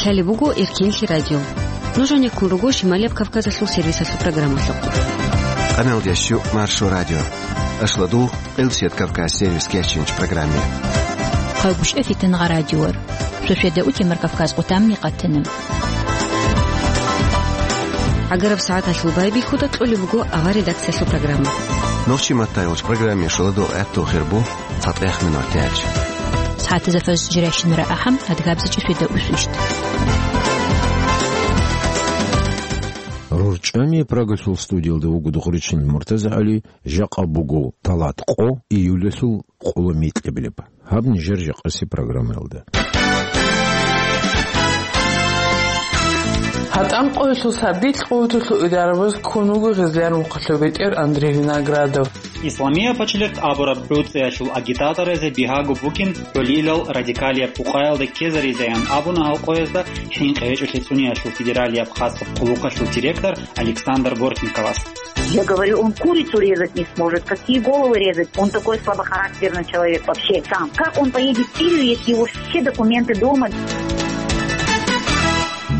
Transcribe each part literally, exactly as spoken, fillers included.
Талеб буго Эркенлъи радио. Нуж гьанеккун руго Шималияб Кавказалъул сервисалъул программалъухъ. Къаналдящу Маршо радио. Ашладул Къилсият Кавказ сервис кечинч программе. Хъалгушев Фитнагъа радиор. Шошеда утемар Кавказ къутамни къатана. Агараб сагӀаталъул байбихьуда кьолеб буго авар редакциялъул программа. Нохчи маттайолч программе шоладул гӀатту хирбу. ЦатӀех минут тяч. СагӀатазда фажр жирайщинара ахӀам, адгабзичӀи шведа усвищт. РорчӀами Прагалъул студиялда вуго Дугъричин МуртазагӀали, жакъа буго талат къо, июлалъул къоло микьабилеб. Гьаб нижер жакъаси программаялда. ГьатӀан къоялъул сардилъ къуваталъул идарабаз ккун вуго гъезлъан вухъалъул бетӀер Андрей Виноградов. Исламияб пачалихъ абураб гӀуцӀиялъул агитаторазе бигьаго букӀин гӀолилал радикалияб къукъаялда ккезаризеян абуна гьал къоязда ХӀинкъи гьечӀолъи цӀуниялъул федералияб хасаб къуллукъалъул директор Александр Бортниковас. Я говорю, он курицу резать не сможет, какие головы резать? Он такой слабохарактерный человек вообще сам. Как он поедет в Сирию, если его все документы дома?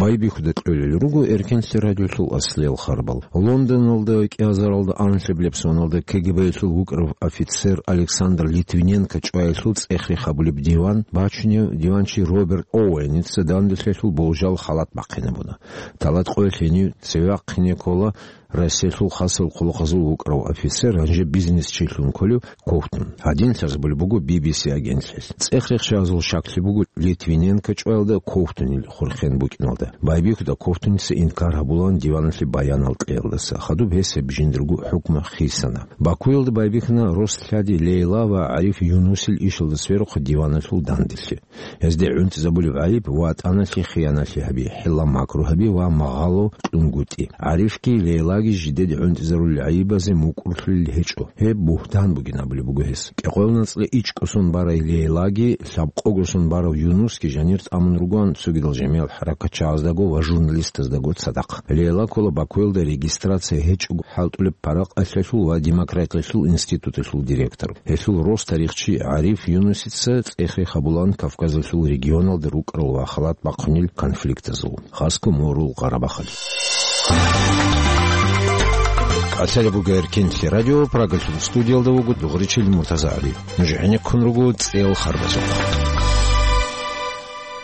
Байбихьуда кьолел руго Эркенлъи радиолъул аслиял харбал. Лондоналда кӀиазаралда анлъабилеб соналда КГБ-ялъул вукӀарав офицер Александр Литвиненко чӀваялъул цӀехе хабулеб диван бачунев диванчи Роберт Оуэница данделъиялъул болжал халат бахъинабуна. Талат къоялъ гьенив цеве вахъине ккола Россиялъул хасал къуллукъазул вукӀарав офицер, гьанже бизнесчилъун кколев Ковтун. Гьадин лъазабулеб буго Би Би Си агентлъиялъ. ЦӀех рехчазул щаклъи буго Литвиненко чӀваялда Ковтунил хурхен букӀиналда. Байбихьуда Ковтуница инкар гьабулаан диваналъе баянал кьеялдаса. Хадуб гьес гьеб жиндирго хӀукму хисана. Бакуялда байбихьана Рослъади Лейла ва ГӀариф Юнусил ишалда сверухъ диваналъул данделъи. Гьезде гӀунтӀизабулеб гӀайиб ватӀаналъе хиянатли гьаби, хӀилла-макру гьаби ва магъало кьунгутӀи. ГӀарифги Лейлаги жидеде гӀунтӀизарулел гӀайибазе мукӀурлъулел гьечӀо. Гьеб бугьтан бугин абулеб буго гьес. КӀикъоял нацӀла ичӀго сон барай Лейлаги, лъабкъого сон барав Юнусги жанир тӀамун ругоан цогидал жамигӀал хӀаракатчагӀаздаго ва журналистаздаго цадахъ. Лейла ккола Бакуялда регистрация гьечӀого хӀалтӀулеб паракъалъиялъул ва демократиялъул институталъул директор. Гьелъул рос тарихчи ГӀариф Юнусица цӀехе хабулаан Кавказалъул регионалда рукӀарал ва халат бахъунел конфликтазул, хасго Морул Къарабахалъ. Къалъалеб буго Эркенлъи радио, Прагалъул студиялда вуго Дугъричил МуртазагӀали. Нуж гӀенеккун руго цӀел харбазухъ.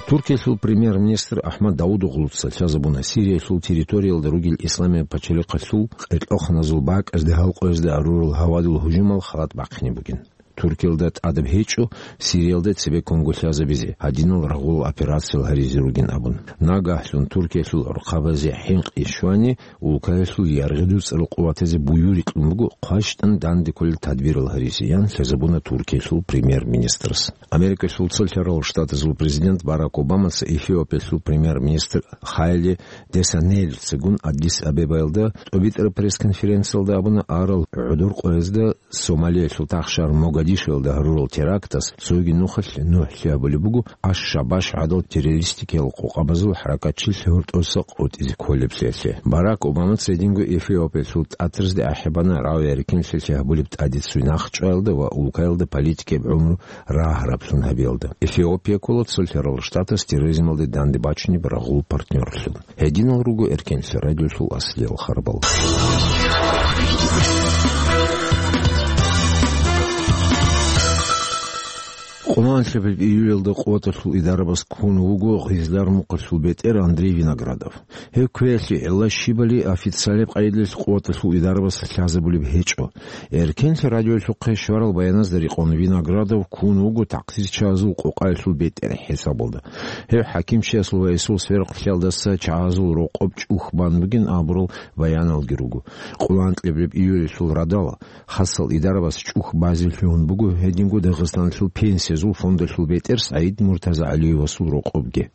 Туркиялъул премьер-министр Ахмад Давудоглуца лъазабуна Сириялъул территориялда ругел Исламияб пачалихъалъул къеркьоханазул бакӀазде гьалкъоязда гьарурал гьавадул гьужумал халат бахъине бугин. Туркиялда тӀадаб гьечӀо Сириялда цебе кванго лъазабизе, гьадинал рагъул операциял гьаризе ругин абун. Нагагьлъун Туркиялъул гӀурхъабазе хӀинкъи щвани, улкаялъул яргъи дуцӀарал къуватазе буюрикьун буго хъващтӀан данде кколел тадбирал гьаризе, ян лъазабуна Туркиялъул премьер-министрас. Америкалъул цолъарал штатазул президент Барак Обамаца Эфиопиялъул премьер-министр Хайле Десанелицагун Аддис-Абебаялда тӀобитӀараб пресс-конференциялда абуна, арал гӀодор къоязда Сомалиялъул тахшар Могадишоялда гьарурал терактас цоги нухалъ нухӀлъи гьабулеб буго Аш-Шабаш гӀадал террористикиял къокъабазул хӀаракатчилъ гьоркьоса къотӀизе кколеблъиялъе. Барак Обамаца гьединго Эфиопиялъул тӀатразде ахӀи бана рагӀи-рикӀкӀиналъе гьабулеб тӀадицуй нахъчӀваялда ва улкаялда политикияб гӀумру рагьараблъун гьабиялда. Эфиопия ккола цолъарал штатас терроризмалде данде бачунеб рагъул партнёрлъун. Гьединал руго Эркенлъи радиолъул аслиял харбал. Къоло анлъабилеб июлалда къуваталъул идарабаз ккун вуго Гъизлар-Мухъалъул бетӀер Андрей Виноградов. Гьев кквеялъе гӀелла щибали официалияб къайдалъ къуваталъул идарабаз лъазабулеб гьечӀо. Эркенлъи радиолъухъе щварал баяназда рекъон Виноградов ккун вуго такъсирчагьазул къокъаялъул бетӀер хӀисабалда. Гьев хӀакимчиясул ва гьесул сверухълъиялдаса чагьазул рокъоб чӀухь бан бугин абурал баяналги руго. Къоло анлъабилеб июлалъул радал хасал идарабаз чӀухь базе лъугьун буго гьединго Дагъистаналъул пенсиязул фондалъул бетӀер СагӀид МуртазагӀалиевасул рокъобги.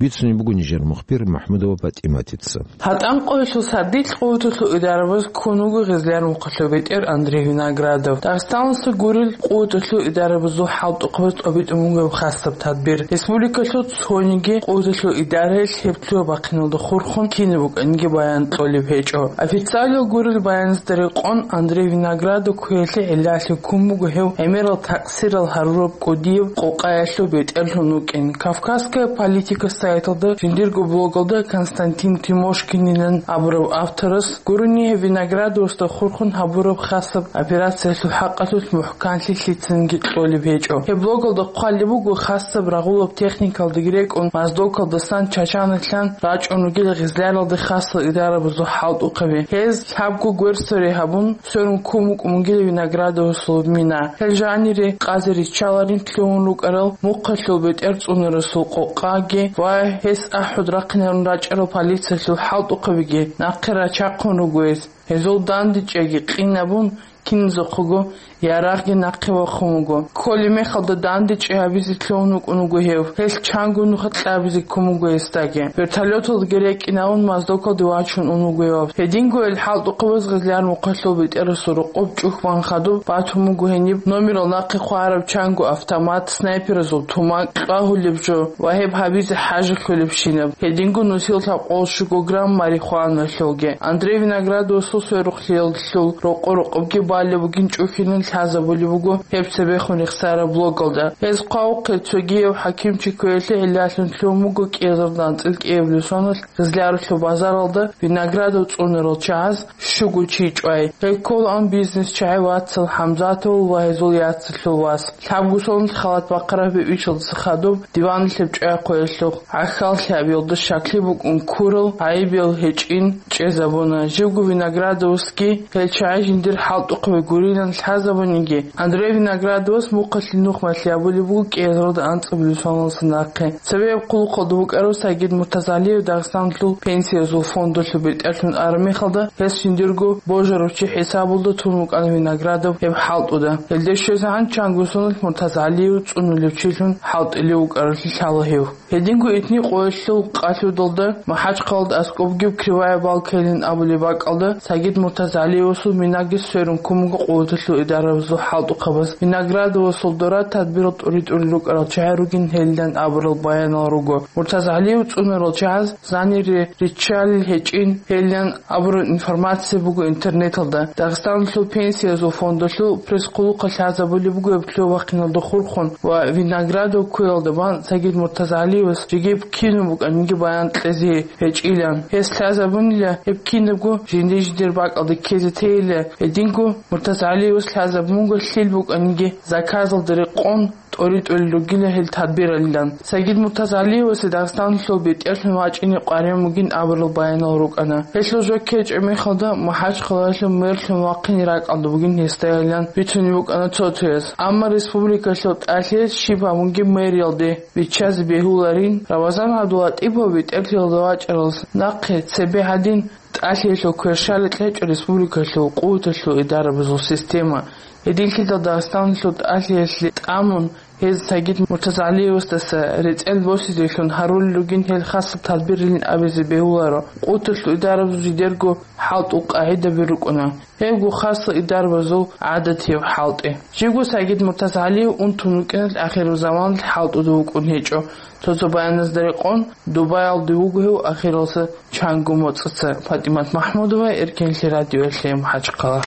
Бицунеб буго нижер мухбир МахӀмудова ПатӀиматица. ГьатӀан къоялъул сардилъ къуваталъул идарабаз ккун вуго Гъизлар-Мухъалъул бетӀер Андрей Виноградов. Дагъистаналдаса гурел къуваталъул идарабазул хӀалтӀухъабаз тӀобитӀун буго гьеб хасаб тадбир. Республикалъул цониги къуваталъул идараялъ гьеб лъугьа-бахъиналда хурхун кинаб букӀаниги баян кьолеб гьечӀо. Официалияб гурел баяназда рекъон, Андрей Виноградов кквеялъе гӀиллалъе ккун буго гьев гӀемерал такъсирал гьарураб Удиев къокъаялъул бетӀерлъун вукӀин. «Кавказская политика» сайталда жиндирго блогалда Константин Тимошкининан абурав авторас гурони, гьев Виноградовасда хурхун гьабураб хасаб операциялъул хӀакъалъулъ мухӀканлъи лъицанги кьолеб гьечӀо. Гьеб блогалда хъвалеб буго, хасаб рагъулаб техникалдаги рекӀун, Моздокалдасан Чачаналъан рачӀун ругел гъизляралда хасал идарабазул хӀалтӀухъаби. Гьез лъабго гверсари гьабун, сверун ккун букӀун бугила Виноградовасул мина. Гьел жанире къазе риччаларин лъугьун рукӀарал мухъалъул бетӀер цӀунарасул къокъаги ва гьес ахӀуд рахъинарун рачӀарал полициялъул хӀалтӀухъабиги нахъе рачахъун руго гьез. Гьезул дандечӀеги къинабун, киназухъего ярагъги нахъе вахъун вуго. Кколеб мехалда дандечӀи гьабизе лъугьун вукӀун вуго гьев. Гьелъ чанго нуха кьабизе ккун буго гьесдаги. Вертолёталдаги рекӀинавун, Моздокалде вачун ун вуго гьев. Гьединго гьел хӀалтӀухъабаз гъизляр мухъалъул бетӀерасул рокъоб чӀухь бан хадуб батун буго гьениб номерал нахъе хъвараб чанго автомат, снайперазул тумакь, кьвагьулеб жо ва гьеб гьабизе хӀажалъулебщинаб. Гьединго нусил лъабкъоялъ щуго грамм марихуаналъулги. Андрей Виноградовасул сверухълъиялъул рокъо-рокъобги балеб бугин чӀухьилан лъазабулеб буго гьеб цебехун рехсараб блогалда. Гьез хъвавухъе цогияв хӀакимчи кквеялъе гӀиллалъун лъугьун буго кӀиазардан анцӀил кӀиабилеб соналъ Гъизлярулъул базаралда Виноградов цӀунарал чагӀаз щуго чи чӀвай. Гьел кколаан бизнес-чагӀи вацал ХӀамзатовал ва гьезул яцалъул вас. Лъабго соналъ халат бахъараб гьеб ишалдаса хадуб диваналъеб чӀвай хъвеялъухъ гӀахьаллъи гьабиялда щаклъи букӀун ккурал гӀайибиял гьечӀин чӀезабуна. Живго Виноградовасги гьел чагӀи жиндир хӀалтӀухъаби гурилан лъазабуниги, Андрей Виноградовас мухъалъе нухмалъи гьабулеб буго кӀиазарда анцӀабилеб соналдаса нахъе. Цебе гьеб хъулухъалда вукӀарав Сагид Муртазалиев Дагъистаналъул пенсиязул фондалъул бетӀерлъун араб мехалда, гьес жиндирго божарав чи хӀисабалда тун вукӀана Виноградов гьеб хӀалтӀуда. Гьелде щвезегӀан чанго соналъ Муртазалиев цӀунулев чилъун хӀалтӀулев вукӀаралъе лъала гьев. Гьединго итни къоялъул къалъудалда МахӀачхъалада аскӀобгиб Кривая Балкайилан абулеб бакӀалда Сагид Муртазалиевасул минаги сверун ккун буго къуваталъул идарабазул хӀалтӀухъабаз. Виноградовасул дора тадбирал тӀури-тӀурил рукӀарал чагӀи ругин гьелилан абурал баянал руго. Муртазалиев цӀунарал чагӀаз занире риччалел гьечӀин гьелилан абураб информация буго интернеталда. Дагъистаналъул пенсиязул фондалъул пресс-хъулухъалъ лъазабулеб буго гьеб лъугьа-вахъиналда хурхун ва Виноградов ккуялда бан Сагид Муртазалиевас жеги кинаб букӀаниги баян кьезе гьечӀилан. Гьес лъазабунила гьеб кинабго жиндир-жиндир бакӀалда ккезе тейила, гьединго Муртазалиевас лъазабун буго лъил букӀаниги заказалда рекъон тӀоритӀулел ругила гьел тадбиралилан. Сагид Муртазалиевасе Дагъистаналъул бетӀерлъун вачӀине къваригӀун бугин абурал баянал рукӀана. Гьелъул жо ккечӀеб мехалда МахӀачхъалаялъул мэрлъун вахъине ракӀалда бугин гьесдайилан бицунеб букӀана цо-цояз. Амма республикалъул тӀалъиялъ щиб гьабунги мэриялде биччазе бегьуларин, Рамазан ГӀабдулатӀипов бетӀерлъиялда вачӀаралдаса нахъе цебе гьадин тӀалъиялъул кверщаликь гьечӀо республикалъул къуваталъул идарабазул система. Гьединлъидал Дагъистаналъул тӀалъиялъе тӀамун, гьез Сагид Муртазалиевасдаса рецӀел босизеблъун гьарулел ругин гьел хасаб тадбирилин абизе бегьуларо. Къуваталъул идарабазул жидерго хӀалтӀул къагӀидаби рукӀуна. Гьебго хасал идарабазул гӀадатияб хӀалтӀи. Живго Сагид Муртазалиев унтун вукӀиналъ ахирузаманалъ хӀалтӀуда вукӀун гьечӀо. Цо-цо баяназда рекъон, Дубаялде вуго гьев ахиралдаса чанго моцӀаца. ПатӀимат МахӀмудова, Эркенлъи радиоялъе, МахӀачхъала.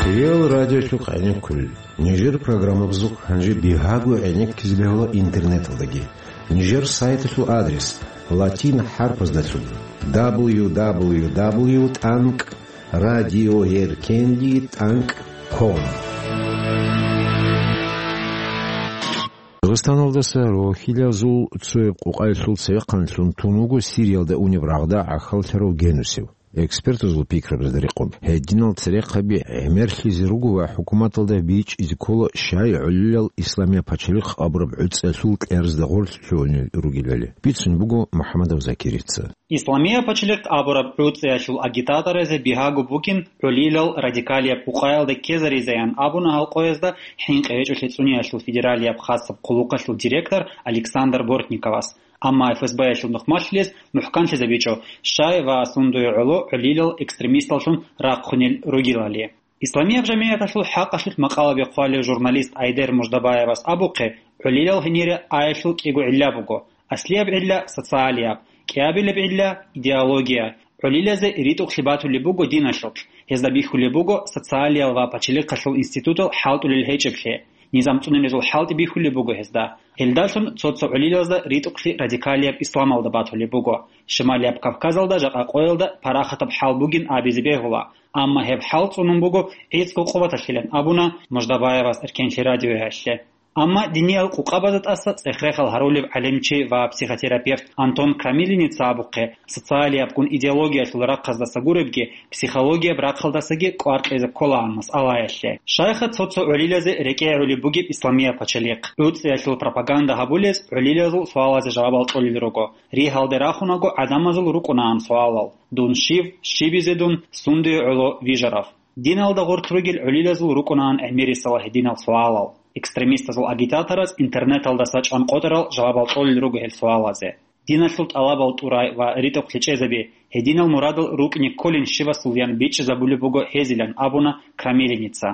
Хириял радиолъухъ гӀенеккулел. Нижер программабазухъ гьанже бигьаго гӀенеккизе бегьула интернеталдаги. Нижер сайталъул адрес латин хӀарпаздалъун: дабл ю дабл ю дабл ю тӀанкӀ радио эркенли тӀанкӀ ком. Дагъистаналдаса рохьилазул цояб къокъаялъул цевехъанлъун тун вуго Сириялда унеб рагъда гӀахьаллъарав Генусев. Экспертазул пикрабазда рекъон, гьединал церехъаби гӀемерлъизе руго ва хӀукуматалда бичӀчӀизе ккола, щай гӀолилал Исламия пачалихъ абураб гӀуцӀиялъул кьеразда гъорлъ лъугьунел ругелали. Бицун буго МухӀамадов Закирица. Исламия пачалихъ абураб гӀуцӀиялъул агитаторазе бигьаго букӀин гӀолилал радикалияб къокъаялда ккезаризеян абуна гьал къоязда ХӀинкъи гьечӀолъи цӀуниялъул федералияб хасаб хъулухъалъул директор Александр Бортниковас. Амма ФСБ-ялъул нухмалъилес мухӀканлъизабичӀо, щай ва сундуе гӀоло гӀолилал экстремисталлъун рахъунел ругелали. Исламияб жамигӀяталъул хӀакъалъулъ макъалаби хъвалев журналист Айдер Муждабаевас абухъе, гӀолилал гьенире аялъул кӀиго гӀилла буго: аслияб гӀилла — социалияб, кӀиабилеб гӀилла — идеология, ГӀулилазе ритӀухълъи батулеб буго диналъулъ, гьезда бихьулеб буго социалиял ва пачалихъалъул институтал хӀалтӀулел гьечӀеблъи. Низам цӀунилезул хӀалтӀи бихьулеб буго гьезда. Гьелдалъун цо-цо гӀулилазда ритӀухълъи радикалияб исламалда батулеб буго. Шималияб Кавказалда жакъа къоялда парахатаб хӀал бугин абизе бегьула, амма гьеб хӀал цӀунун буго гӀицӀго къуваталъилан абуна Муждабаевас Эркенлъи радиоялъе. Амма диниял къукъабазда тӀаса цӀех-рехал гьарулев гӀалимчи ва психотерапевт Антон Крамилиница абухъе, социалиябгун идеологиялъул рахъаздаса гуребги, психологияб рахъалдасаги кӀвар кьезе кколаан масъалаялъе. Щайха цо-цо гӀулилазе рекӀегӀулеб бугеб исламияб пачалихъ? ГӀуцӀиялъул пропаганда гьабулез гӀулилазул суалазе жавабал кьолел руго. Ригьалде рахунаго гӀадамазул рукӀунаан суалал: «Дун щив? Щибизе дун? Сундуе гӀоло вижарав?» Диналда гъорлъ ругел гӀулилазул рукӀунаан гӀемерисела гьединал суалал. Экстремистазул агитатораз интернеталдаса чӀван къотӀарал жавабал кьолел руго гьел суалазе. Диналъул тӀалабал тӀурай ва ритӀухълъи чӀезаби, гьединал мурадал рукӀине кколин щивасулаян бичӀчӀизабулеб буго гьезилан абуна Крамилиница.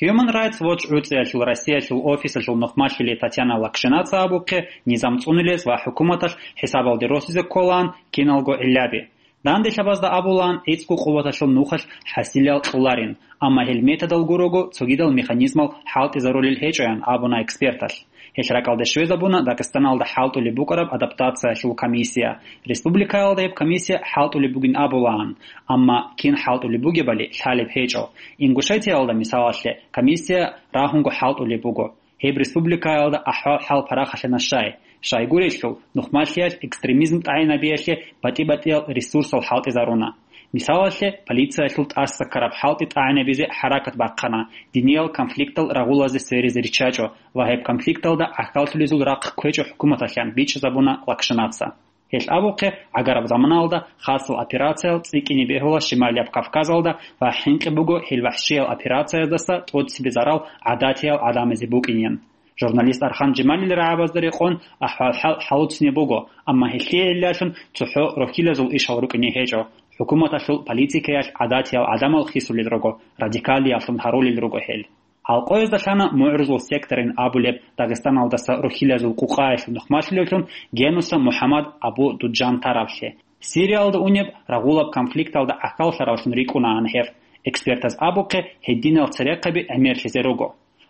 Human Rights Watch гӀуцӀиялъул Россиялъул офисалъул нухмалъулей Татьяна Лакшинаца абухъе, низам цӀунилез ва хӀукуматалъ хӀисабалде росизе кколаан киналго гӀиллаби. Данделъабазда абулаан гӀицӀго къуваталъул нухалъ хӀасилал кьоларин, амма гьел методал гурого цогидал механизмал хӀалтӀизарулел гьечӀоян абуна эксперталъ. Гьелъ ракӀалде щвезабуна Дагъистаналда хӀалтӀулеб букӀараб адаптациялъул комиссия. Республикаялда гьеб комиссия хӀалтӀулеб бугин абулаан, амма кин хӀалтӀулеб бугебали лъалеб гьечӀо. Ингушетиялда, мисалалъе, комиссия рагьунго хӀалтӀулеб буго. Гьеб республикаялда ахӀвал-хӀал парахалъана щай. Щайгурелъул, нухмалъиялъ экстремизм тӀагӀинабиялъе батӀи-батӀиял ресурсал хӀалтӀизаруна. Мисалалъе, полициялъул тӀаса ккараб хӀалтӀи тӀагӀинабизе хӀаракат бахъана, диниял конфликтал рагъулазе сверизе риччачӀо ва гьеб конфликталда гӀахьаллъулезул рахъ кквечӀо хӀукуматалъан, бичӀчӀизабуна Лакшинаца. Гьелъ абухъе, гӀагараб заманалда хасал операциял цӀикӀкӀине бегьула Шималияб Кавказалда ва хӀинкъи буго гьел вахӀшиял операцияздаса тӀоцебе зарал гӀадатиял гӀадамазе букӀинин. Журналист Архан Жемалил рагӀабазда рекъон ахӀвал-хӀал хӀалуцинеб буго, амма гьелъие гӀиллалъун цохӀо рохьилазул ишал рукӀине гьечӀо. ХӀукуматалъул политикаялъ гӀадатиял гӀадамал хисулел руго, радикалияллъун гьарулел руго гьел. Алкъоязда лъана МугӀрузул секторин абулеб Дагъистаналдаса рухьилазул къукъаялъул нухмалъулевлъун Генуса МухӀаммад Абу Дуджан таравлъи. Сириялда унеб рагъулаб конфликталда гӀахьаллъаравлъун рикӀкӀунаан гьев. Экспертаз абухъе, гьединал церехъаби гӀемерлъизе руго.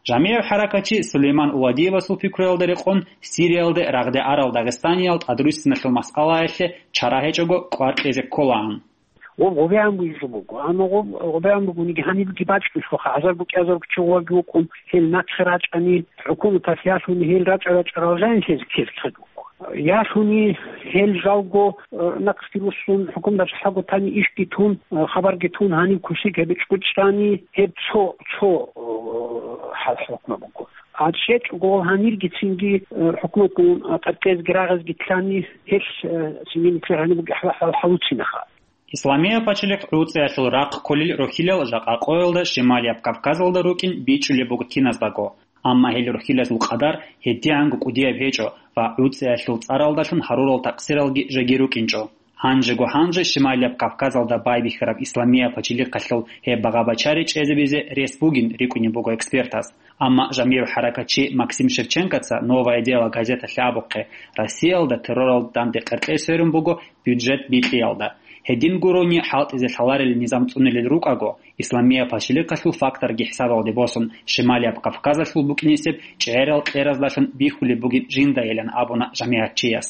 ЖамигӀиб хӀаракатчи Сулейман Уладиевасул пикруялда рекъон, Сириялде рагъде арал дагъистаниял тӀадруссиналъул масъалаялъе чара гьечӀого кӀвар кьезе кколаан. Гъоб гъобегӀан бугеб жо буго. Амма гъоб гъобегӀан бугониги гьанибги бачӀунелъулха, гьазар букӀи-гьазар букӀи чӀугӀаги вукӀун, гьел нахъе рачӀани, хӀукуматалъ ялъуни гьел рачӀа-рачӀарал жанлъизе ккелцӀадго. Ялъуни гьел жалго, э, нахъги руссун, хӀукуматалъ хӀаго тани ишги тун, э, хабарги тун, гьаниб кусиг гьеб чӀучӀани, гьеб цо, цо, э, хӀал-хӀукму буго. А чӀечӀого гьаниргицинги, э, хӀукуматгун, э, къеркъезги рагъизги лъани, гьелъ, э, цинги нилъер гьаниб бугеб хӀал-, хӀал-, хӀалуцинеха. Исламияб пачалихъ ГӀуцӀиялъул рахъ кколел рохьилал жакъа къоялда Шималияб Кавказалда рукӀин бичӀчӀулеб буго киназдаго. Амма гьел рохьилазул къадар гьедигӀанго кӀудияб гьечӀо ва ГӀуцӀиялъул цӀаралдалъун гьарурал такъсиралги жеги рукӀинчӀо. Гьанжего-гьанже Шималияб Кавказалда байбихьараб Исламияб пачалихъалъул гьеб багъа-бачари чӀезабизе рес бугин рикӀкӀунеб буго экспертаз. Амма жамигӀ хӀаракатчи Максим Шевченкоца «Новое дело» газеталъе абухъе, Россиялда терроралда данде къеркьей сверун буго бюджет бикьиялда. Гьедин гурони хӀалтӀизе лъаларел низам цӀунилел рукӀаго, Исламияб пачалихъалъул факторги хӀисабалде босун, Шималияб Кавказалъул букӀинесеб чӀегӀерал кьераздалъун бихьулеб бугин жиндайилан абуна жамигӀатчияс.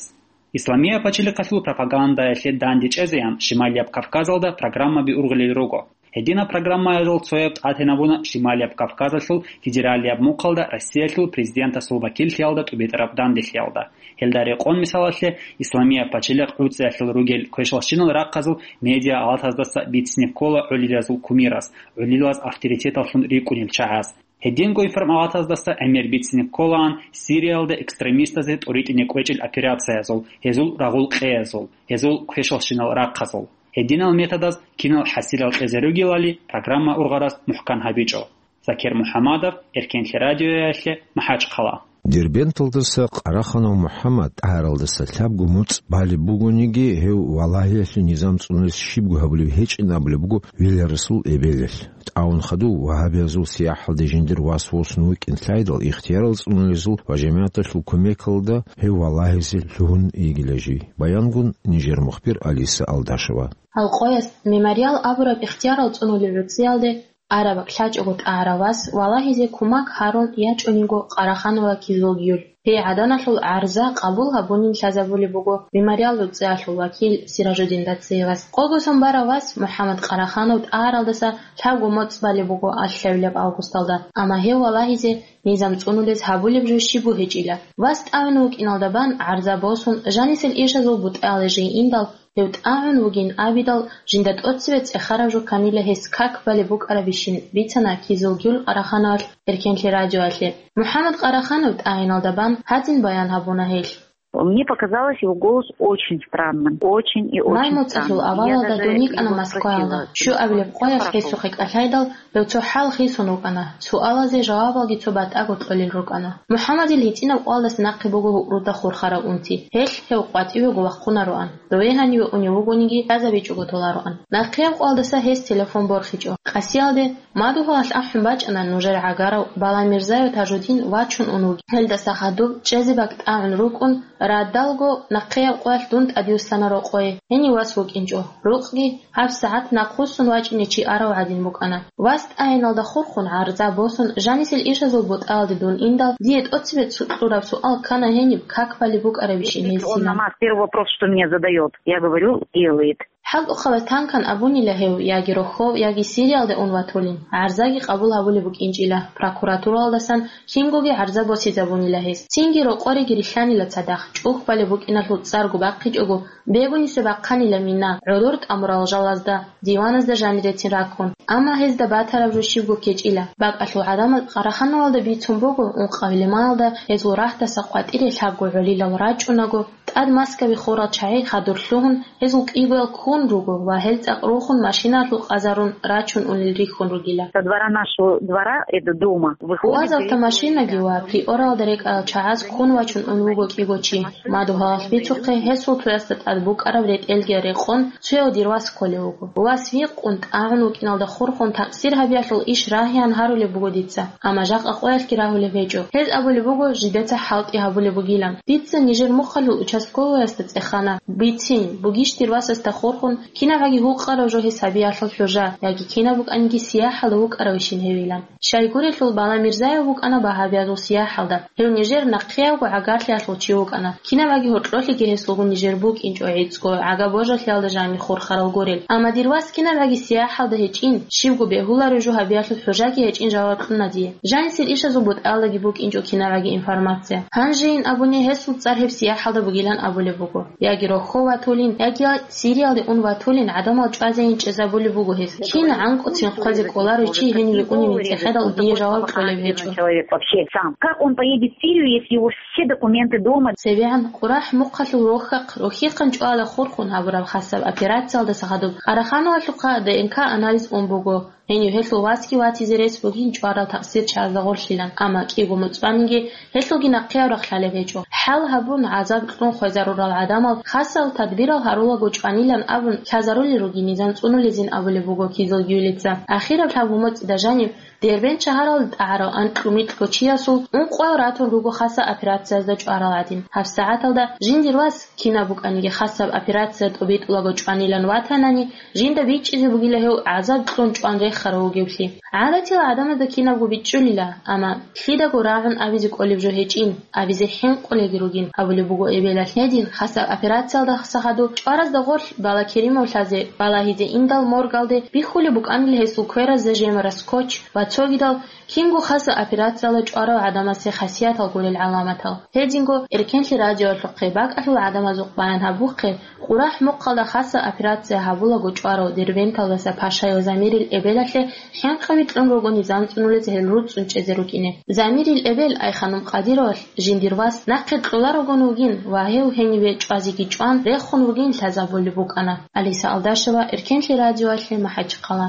Исламияб пачалихъалъул пропагандаялъе данде чӀезеян Шималияб Кавказалда программаби ургъулел руго. Гьединаб программаялъул цояб тӀатинабуна Шималияб Кавказалъул федералияб мухъалда Россиялъул президентасул вакиллъиялда тӀубитӀараб данделъиялда. Гьелда рекъон, мисалалъе, Исламияб пачалихъ ГӀуцӀиялъул ругел квешлъалщинал рахъазул медиа-алатаздаса бицине ккола гӀулилазул кумирас, гӀулилаз авторитеталлъун рикӀкӀунел чагӀаз. Гьединго информалатаздаса гӀемер бицине кколаан Сириялда экстремистазе тӀуритӀине кӀвечӀел операциязул, гьезул рагъул къеязул, гьезул квешлъалщинал рахъазул. Гьединал методаз кинал хӀасилал кьезе ругелали программа ургъарас мухӀкан гьабичӀо. Закир МухӀамадов, Эркенлъи радиоялъе, МахӀачхъала. Дербенталдаса Къараханов МухӀаммад тӀагӀаралдаса лъабго моцӀ балеб бугониги, гьев валагьиялъе низам цӀунулес щибго гьабулеб гьечӀин абулеб буго Вилярасул эбелалъ. ТӀагӀун хадув вагьабиязул сияхӀалде жиндир вас восун вукӀин лъайдал, ихтиярал цӀунулезул ва жамигӀаталъул кумекалда гьев валагьизе лъугьун йигила жий. Баянгун нижер мухбир Алиса Алдашева. Гьал къояс Мемориал абураб ихтиярал цӀунулеб гӀуцӀиялде араб лъачӀого тӀагӀарав вас валагьизе кумак гьарун ячӀунего Къараханова Кизулгюль. Гьей гӀаданалъул гӀарза къабул гьабунин лъазабулеб буго Мемориал гӀуцӀиялъул вакил Сиражудин Дациевас. Къого сон барав вас МухӀаммад Къараханов тӀагӀаралдаса лъабго моцӀ балеб буго алъабилеб августалда, амма гьев валагьизе низам цӀунулез гьабулеб жо щибго гьечӀила. Вас тӀагӀун вукӀиналда бан гӀарза босун, жанисел ишазул бутӀаялде жей индал, гьев тӀагӀун вугин абидал, жинда тӀоцебе цӀехараб жо кканила гьес как балеб букӀарабищин, бицана Кизулгюль Къарахановалъ Эркенлъи радиоялъе. МухӀаммад Къараханов тӀагӀиналда бан гьадин баян гьабуна гьелъ. Мне показалось его голос очень странным, очень и очень странным. Май моцӀалъул авалалда дун йикӀана Москваялда. Щуабилеб къоялъ гьесухъе кӀалъайдал, гьев цо хӀал хисун вукӀана. Суалазе жавабалги цо батӀаго кьолел рукӀана. МухӀаммадил гьитӀинаб къоялдаса нахъе буго гьукъруда хурхарав унти. Гьелъ гьев къватӀивего вахъунароан. Дове гьаниве унев вугониги, лъазабичӀого толароан. Нахъеяб къоялдаса гьес телефон борхичӀо. Къасиялде, Мадугьалалъ ахӀун бачӀана нужер гӀагарав Баламирзаев Тажудин вачун ун вугин. Гьелдаса хадуб чӀезе бакӀ тӀагӀун рукӀун, радалго нахъеяб къоялъ дун тӀадвуссана рокъое. Гьенив вас вукӀинчӀо. Рукъги гьабсагӀат нахъвуссун вачӀине чи арав гӀадин букӀана. Вас тӀагӀиналда хурхун гӀарза босун, жанисел ишазул бутӀаялде дун индал, дие тӀоцебе цо кьураб суал ккана гьениб как балеб букӀарабищин гьесила. Первый вопрос, что мне задает, я говорю, делает. ХӀалтӀухъабаз танкан абунила гьев, яги рохьов, яги Сириялде ун ватулин, гӀарзаги къабул гьабулеб букӀинчӀила, прокуратуралдасан кингоги гӀарза босизабунила гьес. Цинги рокъореги рилълъанила цадахъ, чӀухь балеб букӀиналъул цӀарго бахъичӀого, бегунисеб бахъанила мина, гӀодор тӀамурал жалазда, диваназда жанирецин раккун. Амма гьезда батараб жо щибго ккечӀила. БакӀалъул гӀадамал Къарахановалда бицун буго, ункъабилеб майалда гьезул рагьдаса къватӀире лъабго гӀолилал рачӀунаго, тӀад Москваби хурал чагӀи хадур лъугьун, гьезул кӀигоял ккун руго ва гьел цӀакъ рухун машиналъул къазарун рачун унел рихьун ругила. Со двора нашего двора, это дома, выходит. УАЗ автомашинаги ва Приоралда рекӀарал чагӀаз ккун вачун ун вуго кӀиго чи. Мадугьалалъ бицухъе гьесул цоясда тӀад букӀараб ретӀелги рекъон, цояв дир вас кколев вуго. Вас вихъун, тӀагӀун вукӀиналда хурхун такъсир гьабиялъул иш рагьеян гьарулеб буго дица, амма жакъа къоялъги рагьулеб гьечӀо. Гьез абулеб буго, жидеца хӀалтӀи гьабулеб бугилан. Дица нижер мухъалъул участковоясда цӀехана, бицин, бугищ дир васасда хурхун, кинабгӀаги гьукъарав жо гьес гьабиялъул хӀужа, яги кинаб букӀаниги сияхӀалда вукӀаравищин гьевилан. Щайгурелъул Баламирзаев вукӀана багьабиязул сияхӀалда. Гьев нижер нахъеябго гӀагарлъиялъул чи вукӀана. КинабгӀаги гьоркьолъиги гьесулгун нижер букӀинчӀо гӀицӀго гӀага-божалъиялда жанир хурхарал гурел. Амма дир вас кинабгӀаги сияхӀалда гьечӀин, щибго бегьуларев жо гьабиялъул хӀужаги гьечӀин жаваб кьуна дие. Жанисел ишазул бутӀаялдаги букӀинчӀо кинабгӀаги информация. Гьанжейин абуни гьесул цӀар гьеб сияхӀалда бугилан абулеб буго. Яги рохьов ватулин, яги Сириялде ун ватулин гӀадамал чӀвазейин чӀезабулеб буго гьез. Кин гӀанкӀуцин хъвазе кӀоларев чи гьениве уневин цӀехедал дие жаваб кьолеб гьечӀо. Человек вообще сам. Как он поедет в Сирию, если его все документы дома? ЦебегӀан КъурахӀ мухъалъул рохьахъ, рохьихъан чӀвала хурхун гьабураб хасаб операциялдаса хадуб Къарахановалъухъа Д Н К анализ ун буго. Гьенив гьелъул васги ватизе рес бугин чӀварал такъсир чагӀазда гъорлъилан, амма кӀиго моцӀ баниги гьелъулги нахъеяб рахъ лъалеб гьечӀо. ХӀал гьабун, гӀазаб кьун хвезарурал гӀадамал хасал тадбирал гьарулаго чӀванилан абун лъазарулел ругин низам цӀунулезин абулеб буго Кизулгюлица. Ахираб лъабго моцӀида жаниб Дербент шагьаралда тӀагӀарав анкьго-микьго чиясул ункъоял ратун руго хасаб операциязда чӀварал гӀадин. ГьабсагӀаталда жиндир вас, кинаб букӀаниги хасаб операция тӀобитӀулаго чӀванилан ватанани, жинда бичӀчӀизе бугила гьев гӀазаб кьун чӀван рехарав вугевлъи. ГӀадатила гӀадамазда кинабго бичӀчӀулила, амма лъидаго рагӀун абизе кӀолеб жо гьечӀин, абизе хӀинкъулелги ругин, абулеб буго эбелалъ гьедин, хасаб операциялдаса хадуб чӀваразда гъорлъ Балакеримов лъазе балагьизе индал моргалде бихьулеб букӀанила гьесул кверазда жемарас скотч ва цогидал, кинго хасаб операциялда чӀварав гӀадамасе хасиятал гурел гӀаламатал. Гьединго Эркенлъи радиоялъухъе бакӀалъул гӀадамазухъ баян гьабухъе, КъурахӀ мухъалда хасаб операция гьабулаго чӀварав Дербенталдаса Пашаев Замирил эбелалъе хӀинкъаби кьун руго низам цӀунулез гьел руцӀцӀун чӀезе рукӀине. Замирил эбел Айханум Къадировалъ жиндир вас нахъе кьоларогун вугин ва гьев гьениве чӀвазеги чӀван рехун вугин лъазабулеб букӀана. Алиса Алдашева, Эркенлъи радиоялъе, МахӀачхъала.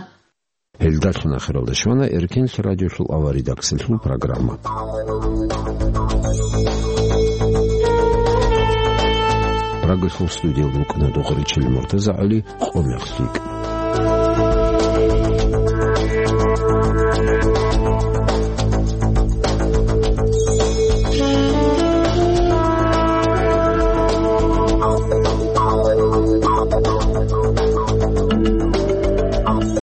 Гьелдалъун ахиралда щвана Эркенлъи радиолъул аваридаксалъул программа. Прагалъул студиял рукӀана Дугъричил МуртазагӀали, «Къо мех лъикӀ».